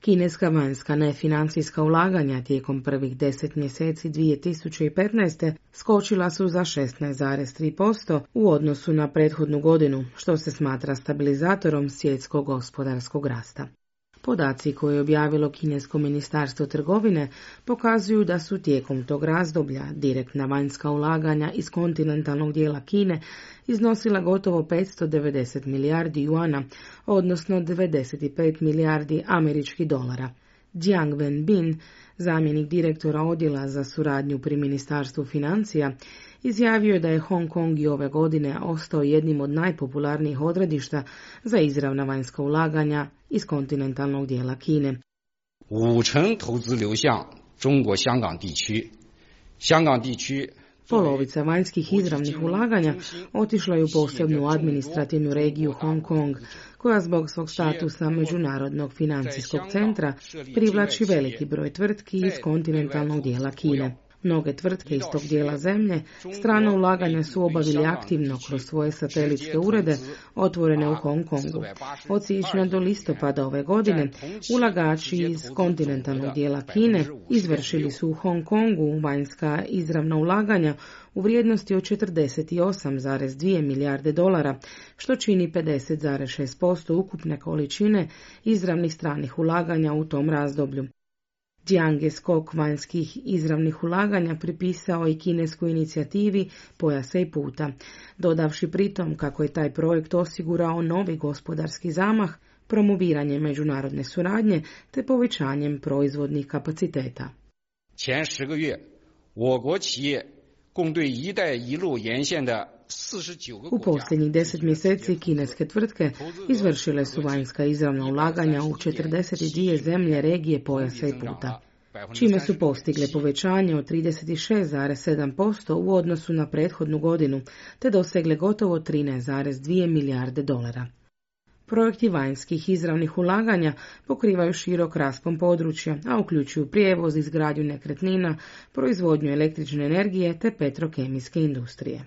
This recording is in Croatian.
Kineska vanjska nefinancijska ulaganja tijekom prvih 10 mjeseci 2015. skočila su za 16,3% u odnosu na prethodnu godinu, što se smatra stabilizatorom svjetskog gospodarskog rasta. Podaci koje je objavilo Kinesko ministarstvo trgovine pokazuju da su tijekom tog razdoblja direktna vanjska ulaganja iz kontinentalnog dijela Kine iznosila gotovo 590 milijardi juana, odnosno 95 milijardi američkih dolara. Jiang Wenbin, zamjenik direktora odjela za suradnju pri Ministarstvu financija, izjavio je da je Hong Kong i ove godine ostao jednim od najpopularnijih odredišta za izravna vanjska ulaganja iz kontinentalnog dijela Kine. 50%投资流向中国香港地区，香港地区 Polovica vanjskih izravnih ulaganja otišla je u posebnu administrativnu regiju Hong Kong, koja zbog svog statusa međunarodnog financijskog centra privlači veliki broj tvrtki iz kontinentalnog dijela Kine. Mnoge tvrtke iz tog dijela zemlje strana ulaganja su obavili aktivno kroz svoje satelitske urede otvorene u Hong Kongu. Od siječnja do listopada ove godine ulagači iz kontinentalnog dijela Kine izvršili su u Hong Kongu vanjska izravna ulaganja u vrijednosti od 48,2 milijarde dolara, što čini 50,6% ukupne količine izravnih stranih ulaganja u tom razdoblju. Jiang je skok vanjskih izravnih ulaganja pripisao i kineskoj inicijativi Pojasa i puta, dodavši pritom kako je taj projekt osigurao novi gospodarski zamah, promoviranje međunarodne suradnje te povećanjem proizvodnih kapaciteta. 前10个月，我国企业共对一带一路沿线的 U posljednjih 10 mjeseci kineske tvrtke izvršile su vanjska izravna ulaganja u 42 zemlje regije Pojasa i puta, čime su postigle povećanje od 36,7% u odnosu na prethodnu godinu, te dosegle gotovo 13,2 milijarde dolara. Projekti vanjskih izravnih ulaganja pokrivaju širok raspon područja, a uključuju prijevoz, izgradnju nekretnina, proizvodnju električne energije te petrokemijske industrije.